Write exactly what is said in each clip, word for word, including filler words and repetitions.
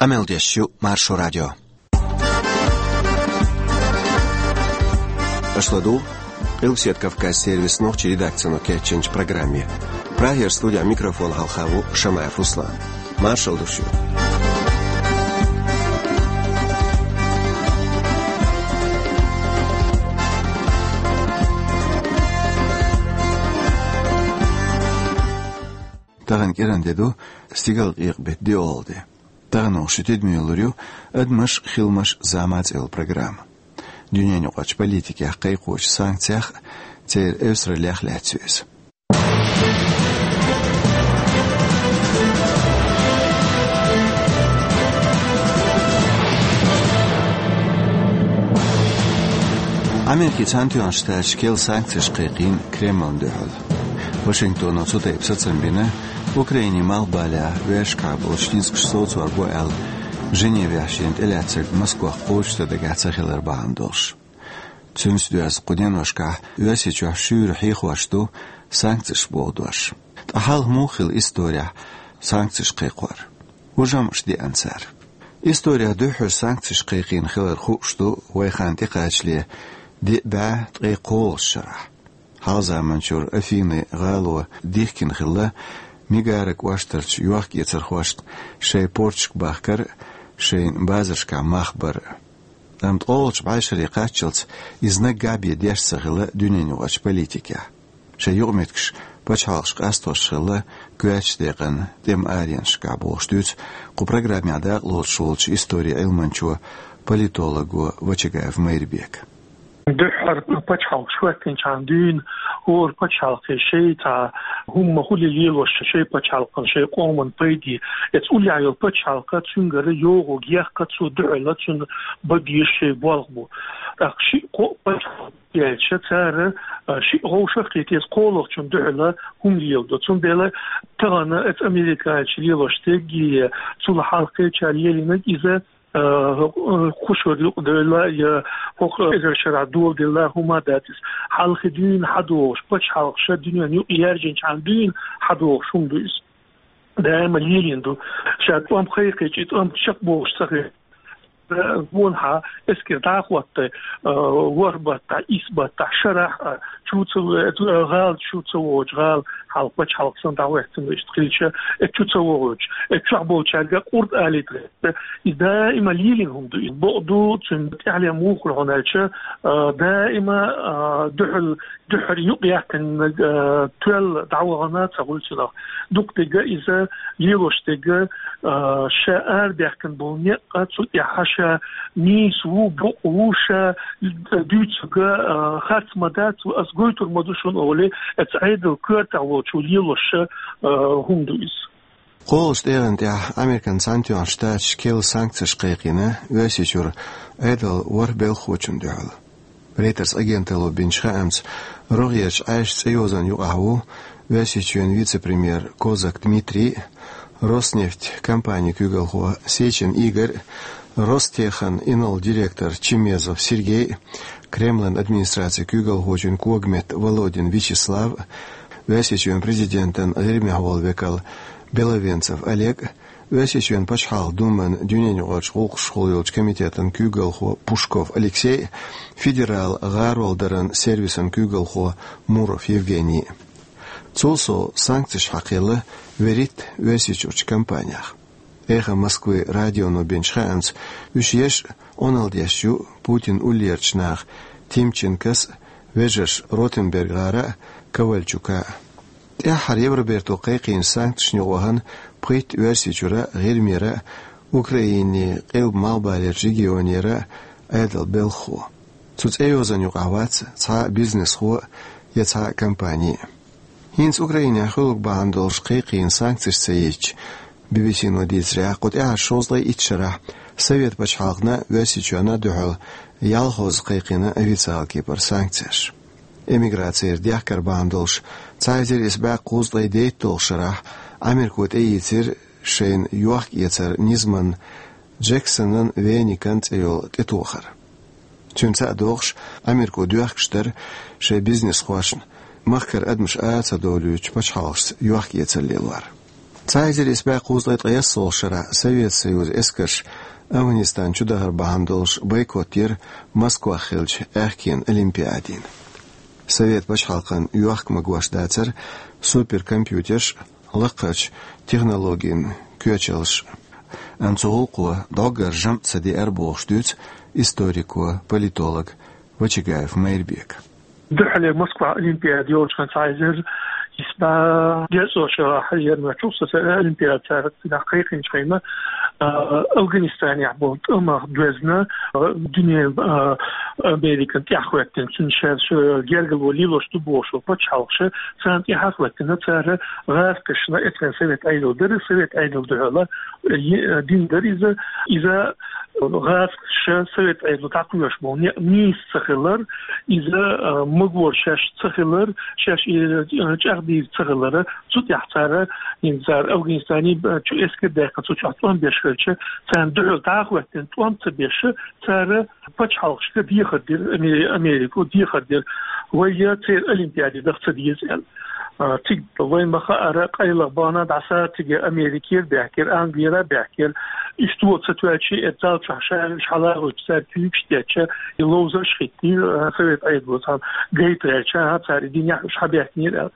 Къамел деш ю Маршо радио. Аша ладугӀу Къилбседа Кавказ сервисан нохчийн редакцино кечйинчу программе. Прагера студин микрофона хьалха ву Шамаев Руслан. Маршалла ду шуьга. Тахана кӀиранде ду, стигалкъекъа беттан диъолгӀа де. Тахана оха шун тидаме йиллар ю «Адамаш, хиламаш, зама» цӀе йолу программа. Дуьненаюкъарчу политикех, кхайкхочу санкцех, церан эвсараллех лаьцна ю иза. Америкин Цхьаьнатоьхначу Штаташа керла санкцеш кхайкхийна Кремлна дуьхьал. Вашингтоно цу тайпа сацам бина, Украинин малхбалехь вешкахь болчу дискаш совцор бу аьлла, Женевехь шена тӀелаьцнарг Москох кхочушдан дагахь ца хилар бахьана долуш. Цуьнца доьзна кху деношкахь Оьрсийчохь шуьйра хьехош ду санкцеш боху дош. Ткъа хьалха муха хилла исторехь санкцеш кхайкхор? ХӀун жамӀаш деана цара? Исторехь дуьххьара санкцеш кхайкхийна хилар хууш ду вай хан тӀекхачале диъ бӀе ткъе кхоалгӀачу шарахь. Хьалха заманчуьра Афинин гӀало дихкина хилла мигара кӀоштарчу йохк-эцархошна шайн порчашка бахкар а, шайна базаршкахь мах бар а. Амма ткъолгӀачу бӀешаре кхаччалц иза наггахь бен деш ца хилла дуьненаюкъарчу политикехь. Шайн юкъаметтигаш пачхьалкхаша къастош хилла коьртачу декъана тӀеман аренашкахь, бохуш дуьйцу кху программехь дакъалоцуш волчу историн Ӏилманчо, политолого Вачагаев Майрбека. Дуьххьара пачхьалкхаш хӀоьттинчхьана дуьйна хӀора пачхьалкхе шайн цхьа хӀума хуьлий лелош, шайн пачхьалкхан, шайн къоман пайде, эцу уллехь йолу пачхьалкх цуьнгара йогӀург яккха, цу дуьхьала цунна бан безаш шайн болх бу. ТӀаккха шиъ-кхоъ пачхьалкх яьлча, цара, а, шиъ вовшах а кхетта, кхоалгӀачунна дуьхьала хӀума леладо. Цундела тахана эцу Америкачу лелош дерг а, цул хьалххечара лелийнарг иза, а, хӀокху, а, кху шарахь юкъадевлла я хӀокху эзар шарахь доладелла хӀума дац иза. Хьалхе дуьйна хьадогӀуш, пачхьалкхаша дуьненна юкъа яьржинчхьана дуьйна хьадогӀуш хӀума ду иза. Даима лелийна ду. Ша тӀом кхайкхича, и тӀом чекхбохуш ца хилча, гонахьа эскар дӀа а хӀотта, а, ворхӀ баттахь, исс баттахь, шарахь а чу ца, а, гӀала чу ца вогӀучу гӀала хьалха пачхьалкх санна дӀахӀоьттина иштта хилча, э, чу ца вогӀучу, э, чохь болчаьрга къурд алийта гӀерта. И даима лелийна хӀума ду. И бакъ ду, цуьнан тӀаьхьале муха хуьлу хьуна аьлча, а, даима, а, дуьхьал дуьххьара юкъаяьккхина, а, тоьлла дӀавахана ца хуьлу цунах. Дукха дерг иза лелош дерг, а, ша арадаьккхина болу некъ, цу тӀехь ша нийса ву, бакъ ву, ша дуьйцург, а, харц ма дац, ас гойтур ма ду шуна олий, эцу Ӏедалан коьртехь волчо лелош, а, хӀума ду иза. КхоалгӀачу тӀегӀан тӀехь Америкин Цхьаьнатоьхначу Штаташа керла санкцеш кхайкхийна Оьрсийчуьра Ӏедалан ворхӀ белхахочунна дуьхьал. Рейтерс агенталло бинчу хаамца, рогӀерчу Ӏаьржачу цӀейозанна юкъахь ву Оьрсийчоьнан вице-премьер Козак Дмитрий, Роснефть компанин куьйгалхо Сечин Игорь, Ростехин инарла директор Чимезов Сергей, Кремлан администрацин куьйгалхочун когаметта Володин Вячеслав, Оьрсийчоьнан президентан ГӀирмехволу векал Беловенцев Олег, Оьрсийчоьнан Пачхьалкхан Думан дуьненаюкъарчу гӀуллакхашхула йолчу комитетан куьйгалхо Пушков Алексей, федералан гӀаролдаран сервисан куьйгалхо Муров Евгений. Цул сов санкцеш хьакхаелла вуьрхӀитта Оьрсийчуьрчу компанех. «Эхо Москвы» радионо бинчу хаамца, уьш еш а Ӏуналла деш ю Путинан уллерачу наха Тимченкос а, вежарша Ротенберг гӀара а, Ковальчука а. ТӀаьххьара Евроберто кхайкхийначу санкцешна юкъа вахана пхийтта Оьрсийчуьра а, ГӀирмера а, Украинин къилба-малхбалерчу регионера а Ӏедалан белхахо. Цу цӀейозанна юкъахь вац цхьа а бизнесхо я цхьа а компани. ХӀинца Украинехь хуьлург бахьана долуш кхайкхийна санкцеш ца езачу Би-Би-Си-но дийцарехь, кху тӀаьхьарчу шовзткъе итт шарахь Совет пачхьалкхана а, Оьрсийчоьнна а дуьхьал ялхазза кхайкхийна официалан кепара санкцеш. Эмиграцера дехкар бахьана долуш, цхьа эзар исс бӀе кхузткъе дейтталгӀачу шарахь Америко тӀеийцира шайна йохк-эцар низаман Джексонан Веникан цӀе йолу тӀетохар. Цуьнца а догӀуш, Америко доьхкуш дара шайн бизнесхошна махкара адамаш ара ца довлуьйтучу пачхьалкхашца йохк-эцар лелор. Цхьа эзар исс бӀе кхузткъеи ткъаесналгӀа шера Совет Союзан эскарша Афганистан чудахар бахьана долуш бойкот дира Москвахь хиллачу аьхкенан олимпиадина. Совет пачхьалкхан йохка магош дацара суперкомпьютерш а, лакхарчу технологийн коьчалш а. Амма цу гӀуллакхо дӀоггара жамӀ ца деара бохуш дуьйцу историко, политолог Вачагаев Майрбека. Дуьххьара Москва олимпиада йолчу хенахь цхьа эзар исс бӀе дезткъа шарахь ермачух сан олимпиада цара цигахь кхайкхинчу хенахь, а, Афганистанехь болу тӀамах доьзна, а, дуьненан, а, Американ тӀаьхьахӀоьттина, цуьнан шаьш, а, гергарло лелош ду бохуш болу пачхьалкхаша, царна тӀаьхьахӀоьттина, цара гӀазкхашна, эцхьана Совет Ӏедал дара, Совет Ӏедал дуьхьала, е-, дина дара иза, иза гӀазкхаша Совет Ӏедало дӀакхоьхьуш болу некъ нийса ца хилар, иза, а, магор шаьш ца хилар, шаьш и, а, чӀагӀдийр ца хилар, цу тӀехь цара, хӀинца цара Афганистане, а, чу эскар даьккхина, цу чохь тӀом беш хилча, царна дуьхьал дӀахӀоьттина тӀом ца беш, цара пачхьалкхашка дехар дира, Аме-, Америко дехар дира. Вай я церан олимпиаде даха ца деза аьлла. А, цига вайн ма-хаъара, къайлаха бахана дӀаса цига Америкера баьхкира, Англера баьхкира. Иштта ца тоьлча, и зал чохь ша уьш хьалагӀуьйтуш, цара куьйгаш теттича, и ловзарш хӀиттийра, а, Совет Ӏедало цхьана гайта гӀертача, а, цара и динехь уьш хьабаьхкинера аьлла.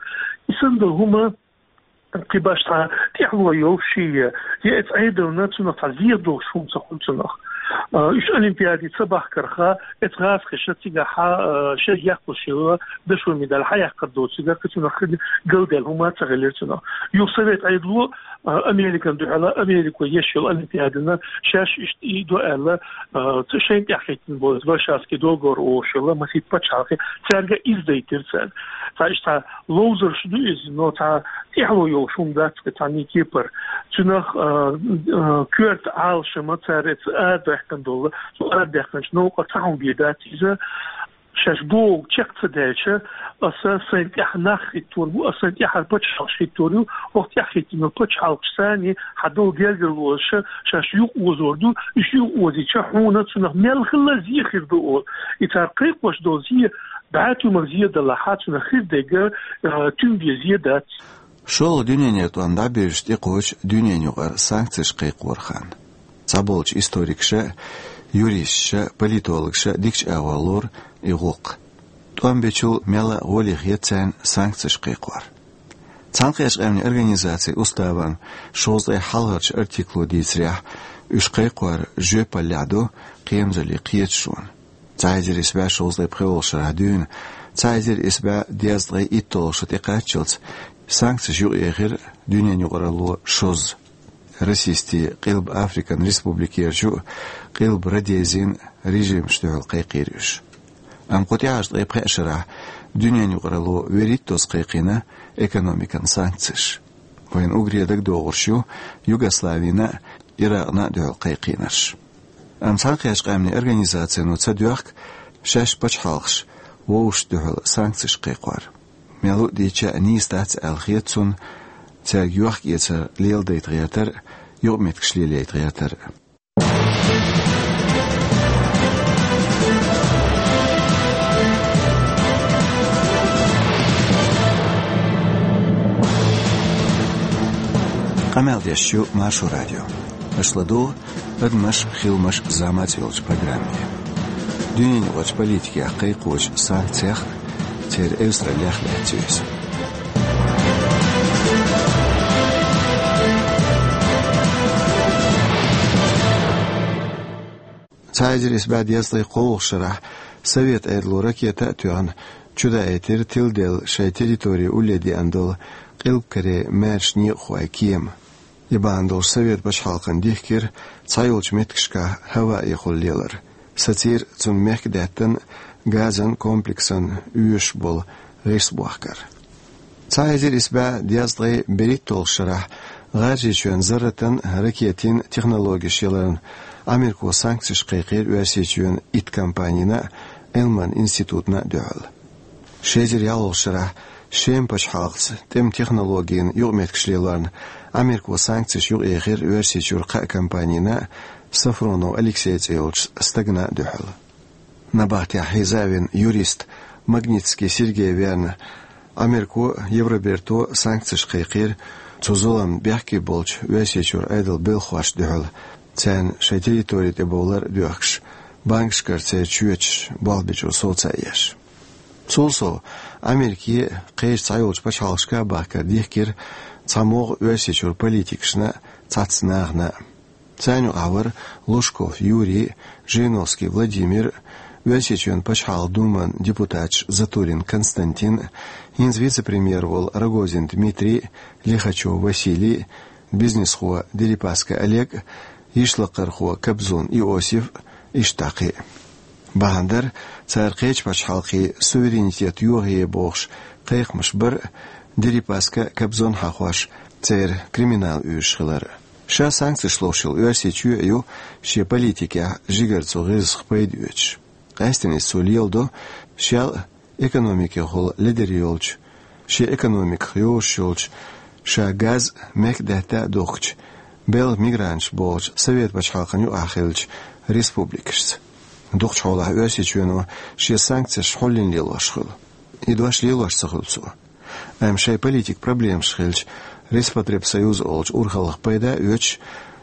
И санна долу хӀума кхин башха цхьа тӀаьхьало йолуш я, я эцу Ӏедална цунах цхьа зен долуш хӀума ца хуьлу цунах. А, уьш олимпиаде ца бахкарх, эцу гӀазкхаша цигахь, а, шайга яккхалуш йолу дашо медаль хьаяккхар доцург, кхин цунах галдаьлла хӀума ца хилира цунах. Юха Совет Ӏедало, а, Американа дуьхьала, Америко еш йолу олимпиадана шаьш иштта и до аьлла, а, ц-, шайна тӀехь хӀиттина болу Варшавский договор олуш йолу, масийтта пачхьалкхе, цаьрга иза дайтира цара. Цхьа иштта цхьа ловзарш ду иза, но цхьа тӀаьхьало йолуш хӀума дац, цхьа никепар. Цунах, а, а, коьрта Ӏалашам цара эца арадаьккхина долу, цу арадаьккхинчу новкъа цхьа хӀума бен дац иза. Шаьш бохург чекх ца даьлча, аса сайн тӀехь нах хӀиттор бу, аса сайн тӀехьара пачхьалкхаш хӀиттор ю, хӀокху тӀехь хӀиттина пачхьалкхаш санна хьан долу гергарлоша шаьш юкъаозор ду, уьш юкъаозийча хьуна цунах мел хилла зен хир ду олу. И цара кхайкхош долу зен, бӀе туьмах зен далахь, цунах хир дерг, а, туьма бен зен дац. ШолгӀа дуьненан тӀом дӀабевзаш тӀекхочу дуьненаюкъара санкцеш кхайкхоран хан. Цхьаболчу историкаша, юристаша, политологаша дикачу агӀор лору и гӀуллакх. ТӀом бечул мелла а гӀоли хета царна санкцеш кхайкхор. Цхьаьнакхеттачу къаьмнийн организацин уставан шовзткъе хьалхарчу артикло дийцарехь, уьш кхайкхор жоьпаллехь ду кхерамзаллин кхеташонан. Цхьа эзар исс бӀе шовзткъе пхоьалгӀа шарахь дуьйна, цхьа эзар исс бӀе дезткъе итталгӀа шо тӀекхаччалц санкцеш юкъаэхира дуьненан юкъаралло шозза. Расистийн Къилба Африкан республикерчу а, Къилба Родезин а режимашна дуьхьал кхайкхийра уьш. Амма кху тӀаьхьарчу ткъе пхеа шарахь дуьненан юкъаралло вуьрхӀиттазза кхайкхийна экономикан санкцеш. Вайна уггаре дагадогӀурш ю Югославина а, Иракъна а дуьхьал кхайкхийнарш. Амма Цхьаьнакхеттачу къаьмнийн организацино ца доьхку шаьш пачхьалкхаш вовшашна дуьхьал санкцеш кхайкхор. Мел а дийцича а нийса дац аьлла хета цунна цаьрга йохка-эцар леладайта гӀертар а, юкъаметтигаш лелайта гӀертар а. Къамел деш ю Маршо радио. Аша ладугӀу «Адамаш, хиламаш, заманаш» йолчу программе. Дуьненаюкъарчу политикех кхайкхочу санкцех а, церан эвсараллех а лаьцна ю иза. Цхьа эзар исс бӀе дезткъе кхоалгӀачу шарахь Совет Ӏедало ракета а тоьхна, чудаийтира тиладелла шайн территори улле деана долу Къилба Корейн маьрша некъахойн кема. И бахьана долуш Совет пачхьалкхана дихкира цхьайолчу меттигашкахь хӀаваэхула лелар, сацийра цунна мехкдаьттан газан комплексан оьшуш болу гӀирс бохкар. Цхьа эзар исс бӀе дезткъе берхӀитталгӀачу шарахь ГӀажарийчоьнан зарратан, ракетийн технологеш яларна Америко санкцеш кхайкхийра Оьрсийчоьнан итт компанина а, Ӏилман институтна а дуьхьал. Ши эзар ялхалгӀачу шарахь Шеман пачхьалкхаца тӀеман технологийн юкъаметтигаш лелорна Америко санкцеш юкъаэхира Оьрсийчуьра кхаа компанина а, Сафронов Алексей цӀе йолчу стагана а дуьхьал. Набахтехь хьийза а вина юрист Магнитский Сергей верна, Америко а, Евроберто а санкцеш кхайкхийра цу зулам бехке болчу Оьрсийчуьра Ӏедал белхахошна дуьхьал, царна шайн территори тӀе бовлар а доьхкуш, банкашкара церан чоьташ болх бечу совца еш. Цул сов, Америке а, кхечу цхьайолчу пачхьалкхашка а бахкар дихкира цхьа могӀа Оьрсийчуьра политикашна а, цхьацца нахана а. Царна юкъахь вара Лужков Юрий а, Жириновский Владимир а, Оьрсийчоьнан Пачхьалкхан Думан депутаташ Затулин Константин а, хӀинца вице-премьер волу Рогозин Дмитрий а, Лихачев Василий а, бизнесхо Дерипаска Олег а, йишлакхархо Кобзон Иосиф а, иштта кхин а. Бахьана дара, цара кхечу пачхьалкхийн суверенитет йохае бохуш кхайкхамаш бар а, Дерипаска а, Кобзон а хьахош, церан криминал уьйраш хилар а. Ша санкцеш ловш йолу Оьрсийчоь а ю шен политикехь жигара цу гӀирсах пайда оьцуш. Къаьсттина иза цо леладо, шел а экономикехула лидер йолчу, шен экономиках йозуш йолчу, ша газ а, мек а даьтта а духкучу, белхан мигранташ бохучу Совет пачхьалкхана юкъахь хиллачу республикашца. Дукхачу хьолахь Оьрсийчоьно шен санкцеш хьуллина лелош хуьлу. И дош лелош ца хуьлу цо. Амма шайн политикан проблемаш хилча, Роспотребсоюз олучу урхаллах пайда а оьцуш,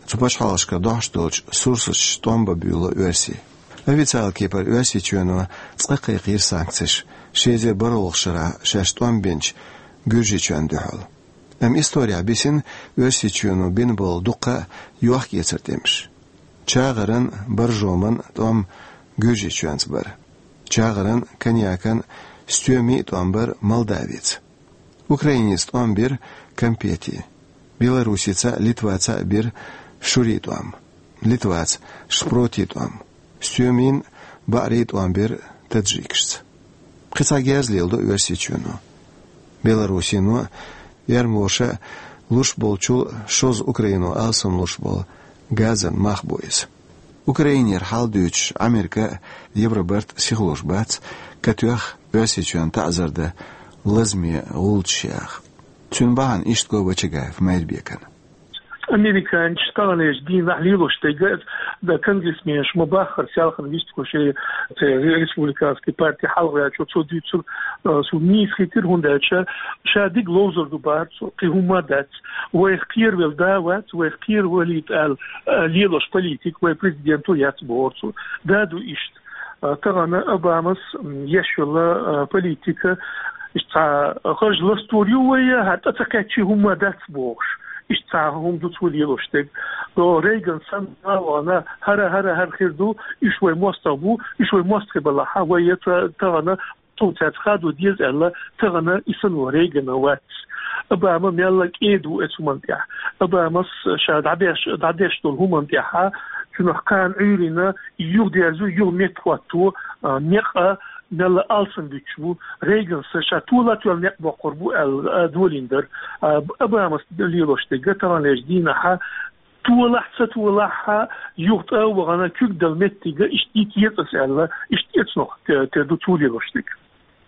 цу пачхьалкхашкара дохьуш долчу сурсаташца тӀом бан буьйло Оьрсийчоь. Официалан кепара Оьрсийчоьно цкъа кхайкхийра санкцеш ши эзар бархӀалгӀачу шарахь шаьш тӀом бинчу Гуьржийчоьнна дуьхьал. Амма историхь бисина Оьрсийчоьно бина болу дуккха а йохк-эцаран тӀемаш. ЧагӀаран, Боржоман тӀом Гуьржийчоьнца бара. ЧагӀаран, коньякан, стоьмийн тӀом бара Молдавица. Украинеца тӀом бира компетийн. Белоруссица а, Литваца а бира шурийн тӀом. Литваца шпротийн тӀом. Стоьмийн, баӀрийн тӀом бира таджикашца. Кхин цхьа герз леладо Оьрсийчоьно. Белоруссино а, эрмалоша а луш болчул шозза Украино алсамлуш болу газан мах бу иза. Украинера хьал дуьйцуш Америка а, Евробарт а сихлуш бац, катоьхна Оьрсийчоьнна таӀзар дан лазаме гӀулчаш яха. Цуьнан бахьана иштта го Вачагаев Майрбекана. Американчу таханлерчу дийнахь лелош дерг, да, конгрессменаш ма-баххара, селхана вистхуьлуш, церан республиканский парти хьалхаваьллачо цо дуьйцург, а, суна нийса хетира, хӀунда аьлча ша дика ловзур ду бахара цо, кхин хӀумма а дац. Вайх кхеравелла да а вац, вайх кхеравалийта аьлла, а, лелош политика вайн президенто яц бохура цо. Да ду иштта. А, тахана Обамас, м, еш йолу, а, политика, иштта цхьа харжа ластор ю вай, хӀара тӀе ца кхаьччи хӀумма дац бохуш. Иштта цхьа хӀума ду цо лелош дерг. До Рейган санна вахана, хӀара, хӀара, хӀара хир ду, уьш вай мостагӀ бу, уьш вай мостагӀий балахь, вай я ца-, тахана цо цаьрца хадо деза аьлла, тахана и санна Рейгана вац. Обама мелла кӀеда ву оцу хӀуманна тӀехь. Обамас ша дӀадеш, дӀадеш долу хӀуманна тӀехь, цунах кхана Ӏуьйрина, юхадерзо, юха меттахӀотто, а, некъ а, мелла алсам буьтуш бу. Рейгана ша тола а тоьлла некъ боккхур бу аьлла, а, долийна дара. А, Обамас лелош дерг таханлерчу дийнахь, толахь а, ца толахь а, юха тӀе а вахана, куьг дала меттиг а, иштта дитта еза аса аьлла, иштта эцнох те-, тера ду цо лелош дерг.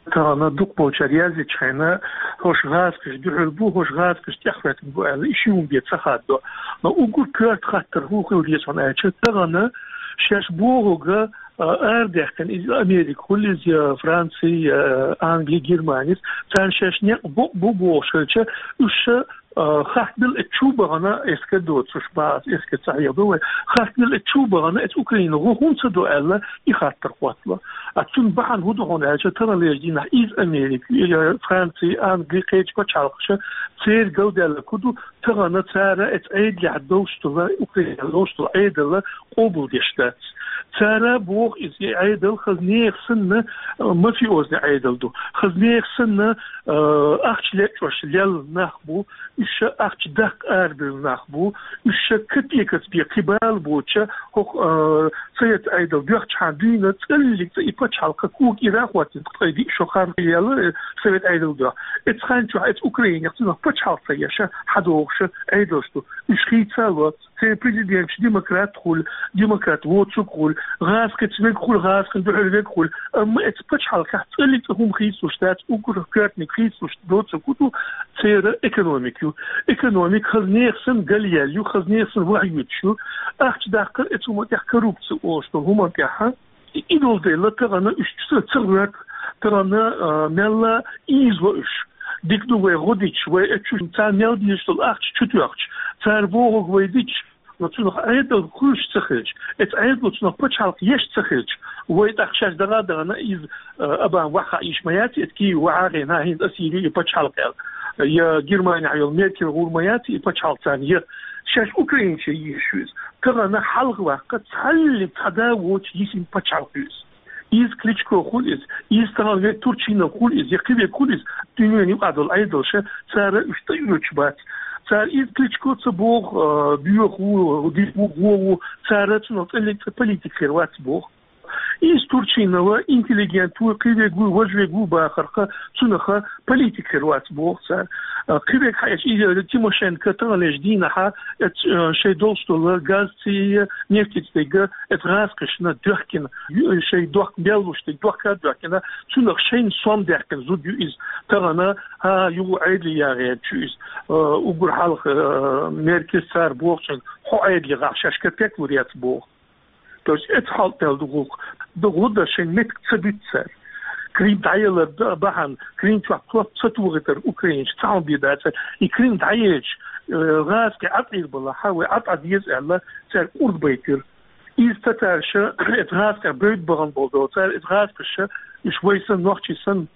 Тахана дукхахболчара яздечу хенахь, хӀорш гӀазкхаша дуьхьал бу, хӀорш гӀазкхаша тӀехӀоьттина бу аьлла, и ши хӀума бен ца хаддо. Но уггар коьрта хаттар хӀун хила деза хьуна аьлча, тахана шаьш бохург, а, арадаьккхина, иза Америка хуьлу, иза я Франци, я Англи, Германис, царна шаьш некъ бу, бу бохуш хилча, уьш ша, а, хаттабелла эцу чу бахана, эскар доцуш, бац, эскар ца хьехадо вай, хаттабелла эцу чу бахана, эцу Украина гӀо хӀунда ца до аьлла, и хаттар хӀоттало. А цунна бахьана хӀун ду хьуна аьлча, таханлерчу дийнахь иза Америка, я Франци, Англи, кхечу пачхьалкхаша, церан галдаьлларг хӀун ду, тахана цара эцу Ӏедалехь долуш долу, Украинехь долуш долу Ӏедал къобалдеш дац. Цара боху иза, и Ӏедал хаза нехан санна, а, мафиозни Ӏедал ду. Хаза нехан санна, а, ахча лечкъош лелла нах бу, уьш ша ахча даккха арабевлла нах бу, уьш ша капекаца бен кхин бала боцуша, хӀокху, а, Совет Ӏедал доьхчахьана дуьйна цӀаллиг цӀа и пачхьалкх кога ира а хӀоттийна, ткъе диъ шо хан яьлла, э, Совет Ӏедал доьху. Эцу хан чохь эцу Украинехь цунах пачхьалкх ца еш, хьадогӀуш Ӏедалш ду. Уьш хийца а ло, церан президенташ демократ хуьлу, демократ воцург хуьлу, гӀазкхица верг хуьлу, гӀазкхина дуьхьал верг хуьлу. Амма эцу пачхьалкхехь цӀаллиг цӀа хӀума хийцалуш дац, уггар коьртаниг хийцалуш доцург хӀун ду, церан экономика ю. Экономика хаза нехан санна галъяьлла ю, хаза нехан санна вахьйоьдуш ю. Ахча даккхар эцу хӀуманна тӀехь, коррупци олуш долу хӀуманна тӀехь, и, и долу дела тахана уьш ца, ца гӀоьрту, тахана, а, мелла ийзало уьш. Дика ду вай гӀо дича, вай эцу царна мел дезаш долу ахча чу тоьхча, цара бохург вай дича, но цунах Ӏедал хуьлуш ца хилча, эцу Ӏедало цунах пачхьалкх еш ца хилча, вай тӀаккха шаьш дагӀа а даьхна, иза, а, Обама ваха йиш ма яц, эцу Киеве ваха а гӀена, хӀинца Ассири и пачхьалкх аьлла. Я Германехь йолу Меркель гӀур ма яц и пачхьалкх царна, я шаьш Украинче йийш ю иза. Тахана хьалха ваккха цхьаллиг цхьа да воцуш йисина пачхьалкх ю иза. Иза Кличко хуьлу иза, иза тахана век Турчинов хуьлу иза, я кхин век хуьлу иза, дуьненан юкъахь долу Ӏедалша, цара уьш тӀеоьцуш бац. Цара иза Кличко ца боху, а, боьха ву, дика ву, гӀо ву, цара цунах цӀе лег цӀе политик хир вац боху. Иза Турчинова интеллигент ву, кхин век ву, важа век ву бахарх, цунах политик хир вац боху цара. А, кхин век хьаэцча, иза Тимошенко таханлерчу дийнахь, эц-, а, шайн долуш долу газ цӀе, нефть цӀе дерг, эцу гӀазкхашна доьхкина, ю-, шайн дохк мел луш дерг дохка а доьхкина, цунах шайна сом даьккхина зуда ю иза. Тахана, хӀа, юха Ӏедале яхьа гӀерташ ю иза. А, уггар хьалха, а, Меркельс цара бохучун, хьо Ӏедале гӀахь шаьш капек лур яц боху. То есть эцу хьал тӀе ду гӀуллакх. Ду гӀо дан шайн меттиг ца буьту цара. Крим дӀаялар д-, бахьана, Крим чохь топ ца тухийтар украинчу цхьа хӀума бен дацара. И Крим дӀаелча, э, гӀазкхий Ӏад Ӏийр бала, хьа вай Ӏад Ӏа деза аьлла, цара кӀурд байтира. Иза татарша, эцу гӀазкхех бевдда бахана болу дела, цара эцу гӀазкхаша, уьш вай санна, нохчий санна,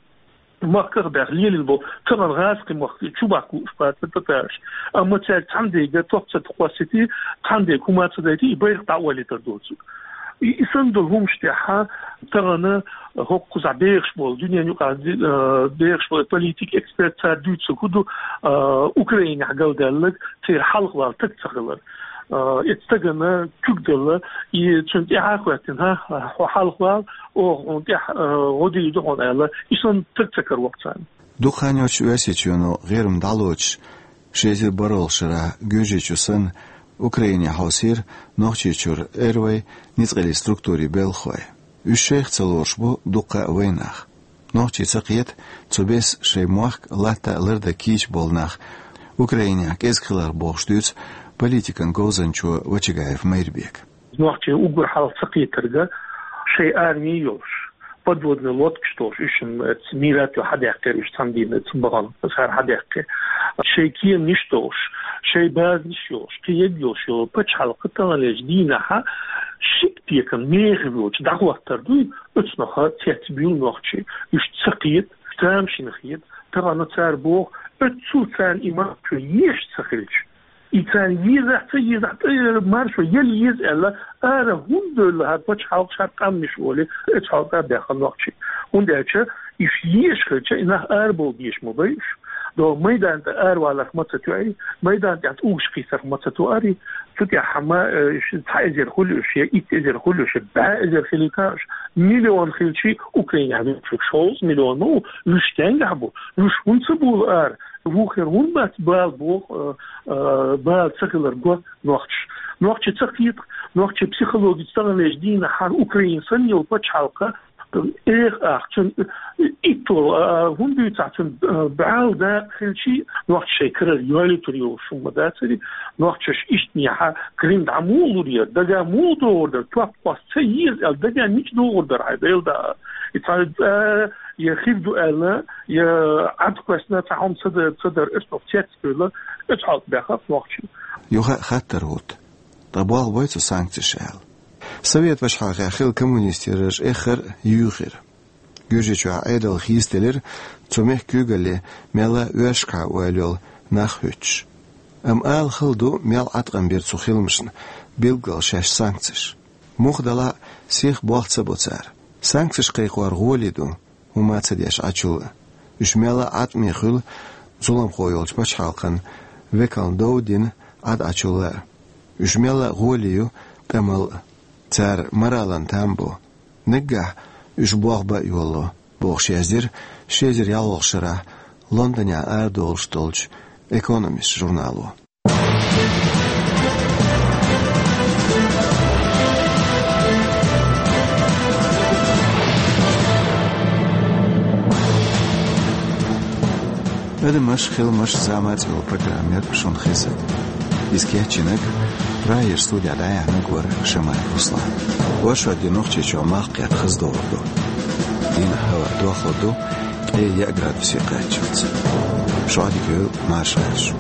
махках а баьхна лелийна болу, тахана гӀазкхий махка чу бахка лууш бац татараш. Амма цаьрга цхьана дерг топ ца кхоссийти, цхьана дерг хӀума ца дайти, и байракх дӀаолийтар доцург. И, и санна долу хӀуманаш тӀехь тахана хӀокхузахь бехаш болу, дуьненан юкъахь ди-, а, бехаш болу политик, эксперт цара дуьйцург хӀун ду, а, Украинехь галдаьлларг, церан хьалхавала стаг ца хилар. А, и стагана куьг делла, и цунна тӀаьхьа а хӀоьттина, хӀа, хьо хьалхавала, оха хьуна тӀехь, а, гӀо дийр ду хьуна аьлла, и санна стаг ца каравоккху царна. Дукха хан йоццуш Оьрсийчоьно гӀирма дӀалоцуш, ши эзар бархӀалгӀачу шарахь Гуьржийчу санна, Украине хьовсийра Нохчийчуьра эр вай ницкъаллин структурийн белхахой. Уьш шайх ца лоруш бу дуккха а вайнах. Нохчий ца кхета, цу бесса шайн мохк латта а лардан кийча болу нах Украинехь кӀезиг хилар бохуш дуьйцу политикан говзанчо Вачагаев Майрбека. Нохчий уггар хьалха ца кхетарг, шайн арми йолуш, подводный лодкаш долуш, уьш-м эцу Мирато хьадаьккхира, уьш цхьана дийнахь эцу бахана цара хьадаьккхира. Шайн кеманаш долуш, шайн базанаш йолуш, кхин ерг йолуш йолу пачхьалкх таханлерчу дийнахь шиъ пекан мехаш воцуш дӀахӀоттар дуй, оцунах цецбуьйлу нохчий, уьш ца кхета, тамашийна хета, тахана цара боху, оццул царна и маршо еш ца хилча, и царна езахь, ца езахь, тӀе маршо яла еза аьлла, ара хӀунда девлла хӀара пачхьалкх, хӀара къаьмнаш олий, оцу хьалха баьхна нохчий. ХӀунда аьлча, уьш еш хилча, и нах арабовла дезаш ма бай уьш. До майдан тӀе араваларх ма ца тоьий, майдан тӀехь угӀуш кхийсарх ма ца тоьарий, цу тӀехь хьама, э, уьш цхьа эзар хуьлу уьш, я итт эзар хуьлу уьш, я бӀе эзар хилийта уьш, миллион хилчий, Украинехь вуьшта шовзткъа миллион ма ву, уьш стенгахь бу, уьш хӀунда ца бовлу ара? Вукхера хӀунда бац бала боху, а, а, бала ца хилар го нохчаша. Нохчий ца кхета, нохчийн психологица таханлерчу дийнахь хӀара Украина санна йолу пачхьалкх, эха ах, цуьнан итталгӀа, а, хӀунда дуьйцахь, цуьнан, а, бӀаьл дакъа хилчий, нохчаша шайн карара йолуьйтур йолуш хӀума ма дацарий, нохчаша иштта нехьа Крым дӀа муха лур яра, дага муха догӀур дара, топ кхосса ца еза аьлла, дага мича догӀур дара хьайн, Дела да. И цхьа, а, я хир ду аьлла, я Ӏад кхоьссина цхьа хӀума ца дар, ца дар, оцунах цецбуьйлу, оцу хьалха баьхна нохчий. Юха а хаттар хӀутту: ткъа болх бой цу санкцеша аьлла? Совет ваша хьалхе хилла коммунистийн раж эххар а юьйхира. Гуьржийчохь Ӏедал хийцаделира, цу мехкан куьйгалле мелла а оьшкахьа ойла йолу нах хӀуьттуш. Амма ала хала ду, мел Ӏаткъам бира цу хиламашна билггал шаьш санкцеш. Муха делахь а, сиха болх ца бо цара. Санкцеш кхайкхор гӀоле ду, хӀума ца деш Ӏачул а. Уьш мелла а Ӏаткъаме хуьлу зуламхо йолчу пачхьалкхан векална дов дина Ӏад Ӏачул а. Уьш мелла а гӀоле ю тӀамал а. Цара моралан там бо. Наггахь уьш болх бан а йолало, бохуш яздира ши эзар ялхолгӀачу шарахь Лондонехь арадолуш долчу Экономист журнало. «Адамаш, хиламаш, зама» цӀе йолу программа яра шуна хезна. Иза кечйинарг Прагера студехь дӀаяьхьнарг вара Шамаев Руслан. Оршот де Нохчийчохь малх кхетта хаза догӀур ду. Дийнахь хӀаваъ дохлур ду, яа градусе кхаччалца. ШоллагӀа марша гӀерта шо.